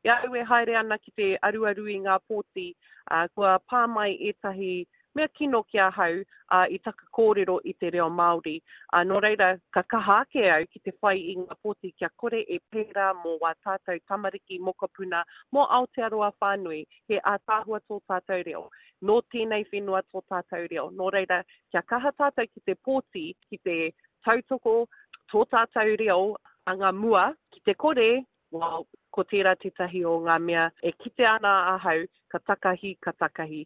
I a au e haere ana ki te aruaru i ngā pōti, ā, kua pā mai ētahi mea kino ki ahau, ā, i taku kōrero i te reo Māori. Ā, nō reira, ka kaha ake au ki te whai i ngā pōti kia kore e pērā mō wā tātou tamariki, mokopuna, mō Aotearoa whānui. He ātaahua tō tātou reo. Nō tēnei whenua tō tātou reo. Nō reira, kia kaha tātou ki te pōti, ki te tautoko tō tātou reo anga mua, ki te kore, well, ko tērā tētahi o ngā mea e kite ana ahau, ka takahi, ka takahi.